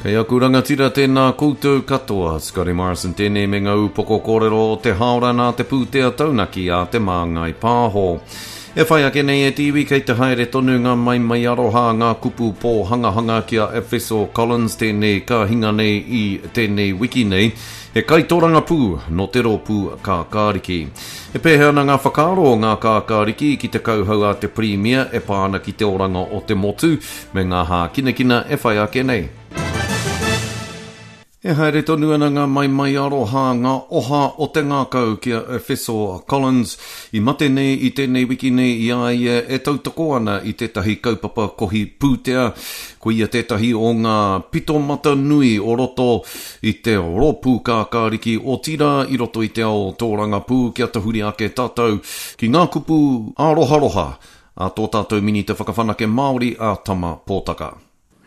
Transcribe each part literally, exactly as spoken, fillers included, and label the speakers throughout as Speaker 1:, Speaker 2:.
Speaker 1: Kei aku rangatira tēnā koutou katoa, Scotty Morrison tēnei me ngā upoko kōrero o te haora nā te pūtea taunaki a Te Māngai Pāho. E whai ake nei e te iwi kei te haere tonu ngā maimai aroha ngā kupu pōhangahanga ki a Efeso Collins tēnei ka hinga nei i tēnei wiki nei, he kaitorangapū nō te rōpū Kākāriki. E pēhea ana ngā whakaaro o ngā Kākāriki ki te kauhau a te Pirimia e pā ana ki te oranga o te motu me ngā hākinakina e whai ake nei. E haere tonu ana ngā maimai aroha, ngā oha o te ngākau ki a Efeso Collins i mate nei i tēnei wiki nei i a ia e tautoko ana i tētahi kaupapa kohi pūtea. Ko ia tētahi o ngā pitomata nui o roto i te rōpū Kākāriki otirā i roto i te ao tōrangapū kia tahuri ake tātou ki ngā kupu āroharoha a tō tātou Minita Whakawhanake Māori a Tama Pōtaka.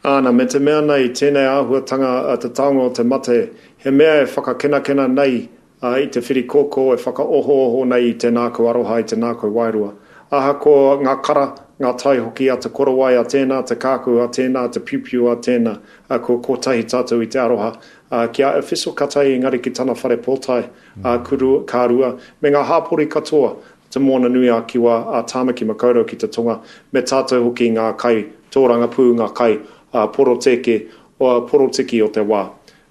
Speaker 2: Āna, me te mea nei, tēnei āhuatanga a te taonga o te mate, he mea e whakakenakena nei uh, i te whirikōkō e whakaohooho nei i te ngākau aroha, i te ngākau wairua. Ahakoa ngā kara, ngā tai hoki a te korowai a tēnā, te kākau a tēnā, te piupiu a tēnā, uh, ko kotahi tātou i te aroha. Uh, ki a Efeso Katai engari ki tana whare pōtae, uh, kuru, ka rua, me ngā hāpori katoa, te Moana nui a Kiwa, a Tāmaki Makaurau ki te tonga, me tātou hoki ngā kai tōrangapū, ngā kai uh, poroteke, o porotiki o te wā.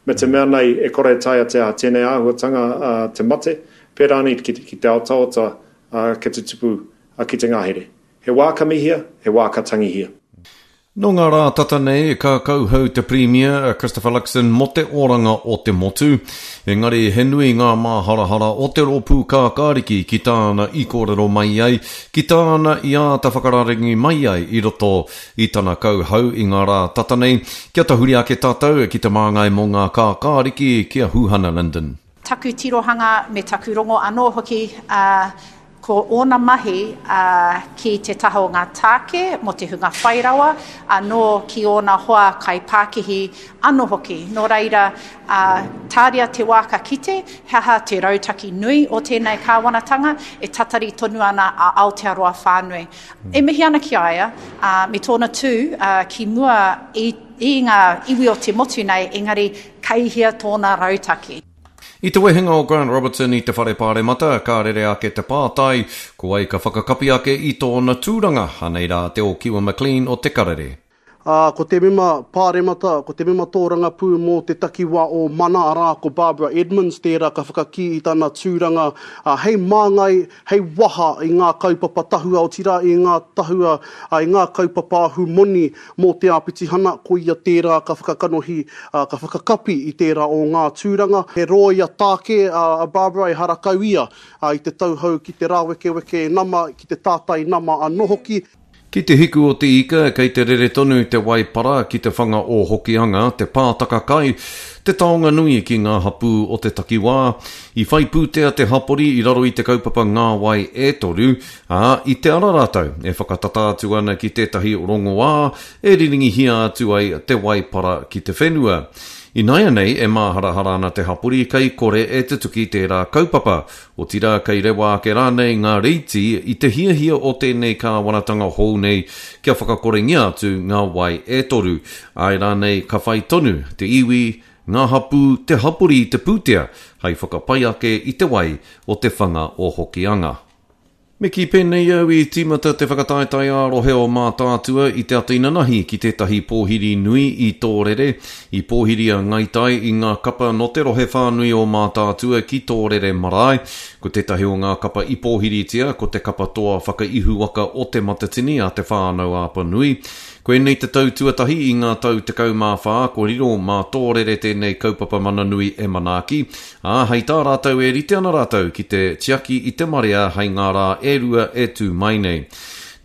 Speaker 2: Me te mea nei e kore taea te aha tēnei āhuatanga uh, te mate, pērā nei ki, ki te otaota uh, ki te tupu uh, ki te ngahere. He wā ka mihia, he wā ka tangihia.
Speaker 1: Nō ngā rā tata nei, ka kauhau te Pirimia Christopher Luxon mō te oranga o te motu. Engari he nui ngā māharahara o te rōpū Kākāriki ki tāna i kōrero mai ai, ki tāna i āta whakararangi mai ai i roto i tana kauhau i ngā rā tata nei. Kia tahuri ake tātou ki te māngai mō ngā Kākāriki ki a Huhana Lyndon.
Speaker 3: Taku tirohanga me taku rongo anō hoki, uh, ko ōna mahi uh, ki te taha o ngā tāke mō te hunga whairawa, anō ki ōna hoa kaipākihi anō hoki. Nō reira, uh, tāria te wā ka kite, he aha te rautaki nui o tēnei kāwanatanga, e tatari tonu ana a Aotearoa whānui. E mihi ana ki a ia, uh, me tōna tū uh, ki mua i, i ngā iwi o te motu nei, engari kei hea tōna rautaki.
Speaker 1: I te wehenga o Grant Robertson i te whare pāremata, ka rere ake te pātai, ko wai ka whakakapi ake i tōna tūranga, anei rā te Okiwa McLean o Te Karere.
Speaker 4: Uh, ko te mema pāremata, ko te mema tōrangapū mō te takiwā o Mana, arā ko Barbara Edmonds tērā ka whakakī i tana tūranga uh, hei māngai, hei waha i ngā kaupapa tahua, otirā i ngā tahua, uh, i ngā kaupapa ahumoni mō te āpitihana, ko ia tērā ka whakakanohi, uh, ka whakakapi i tērā o ngā tūranga. He rōia tāke uh, a Barbara e harakau ia uh, i te tauhou ki te rāwekeweke nama, ki te tātai nama anō hoki.
Speaker 1: Ki te hiku o te ika, kei te rere tonu te waipara ki te whanga o Hokianga, te pātaka kai, te taonga nui ki ngā hapū o te takiwā. I whai pūtea te hapori i raro i te kaupapa ngā wai e toru, ā, i te ara rātou e whakatata atu ana ki tētahi rongoā e riringihia atu ai te waipara ki te whenua. Ināianei e māharahara ana te hapori kei kore e tutuki tērā kaupapa. Otirā kei rewa ake rānei ngā reiti i te hiahia o tēnei kāwanatanga hou nei kia whakakorengia atu ngā wai e toru. Āe rānei ka whai tonu te iwi, ngā hapū, te hapori i te pūtea hei whakapai ake i te wai o te whanga o Hokianga. Me kī pēnei au i tīmata te whakataetae ā-rohe o Mātaatua i te ata inanahi ki tētahi pōhiri nui i Tōrere. I pōhiri a Ngaitai i ngā kapa nō te rohe whānui o Mātaatua ki Tōrere marae. Ko tētahi o ngā kapa i pōhiritia, ko te kapa toa whakaihuwaka o Te Matatini a Te Whānau Apanui. Koinei te tau tuatahi i ngā tau tekau mā whā, ko riro mā Tōrere tēnei kaupapa mana nui e manaaki. Ā, hei tā rātou e rite ana rātou ki te tiaki i te marea hei ngā rā e rua e tū mai nei.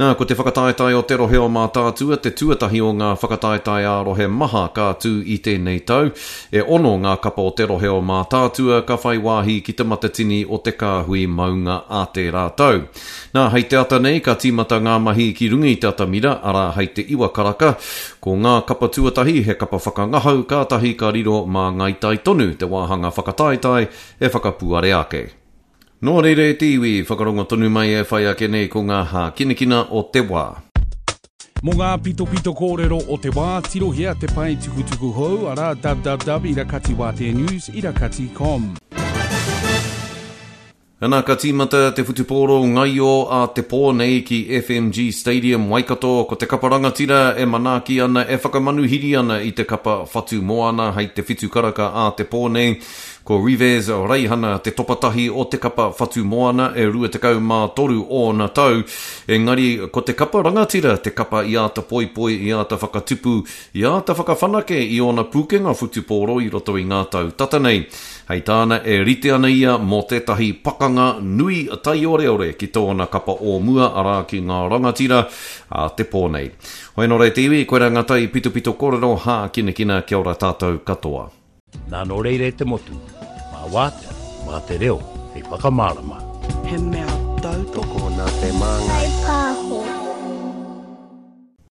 Speaker 1: Nā, ko te whakataetae o te rohe o Mātaatua, te tuatahi o ngā whakataetae ā-rohe maha ka tū i tēnei tau. E ono ngā kapa o te rohe o Mātaatua ka whai wāhi ki te matatini o te kāhui maunga a tērā tau. Nā, hei te ata nei ka tīmata ngā mahi ki runga i te atamira, arā hei te iwa karaka. Ko ngā kapa tuatahi he kapa whakangahau kātahi ka riro mā Ngaitai tonu te wāhanga whakataetae e whakapuare ake. Nō reira e te iwi, whakarongo tonu mai e whai ake nei ko ngā hākinakina o te wā.
Speaker 5: Mō ngā pitopito kōrero o te wā, tirohia te pae tukutuku hou, arā www ira kati wātea news ira kati com.
Speaker 1: Ana ka tīmata te whutupōro ngaio a te pō nei ki F M G Stadium Waikato, ko te kapa rangatira e manaaki ana, e whakamanuhiri ana i te kapa Whatu Moana hei te whitu karaka a te pō nei. Ko Rivez Reihana te topatahi o te kapa Whatu Moana, e rua tekau mā toru ōna tau, engari ko te kapa rangatira te kapa i āta poipoi, i āta whakatupu, i āta whakawhanake i ōna pūkenga whutupōro i roto i ngā tau tata nei. Hei tāna, e rite ana ia mō tētahi pakanga nui taioreore ki tōna kapa o mua, arā ki ngā rangatira a te pō nei. Hoi nō re te iwi, koirā ngā tai pitopito kōrero hākinakina, kia ora tātou katoa.
Speaker 6: Nā nō reira e te motu, mā wātea, mā te reo, hei whakamārama.
Speaker 7: He mea tautoko
Speaker 8: Tokona te māngai.
Speaker 9: Pāho.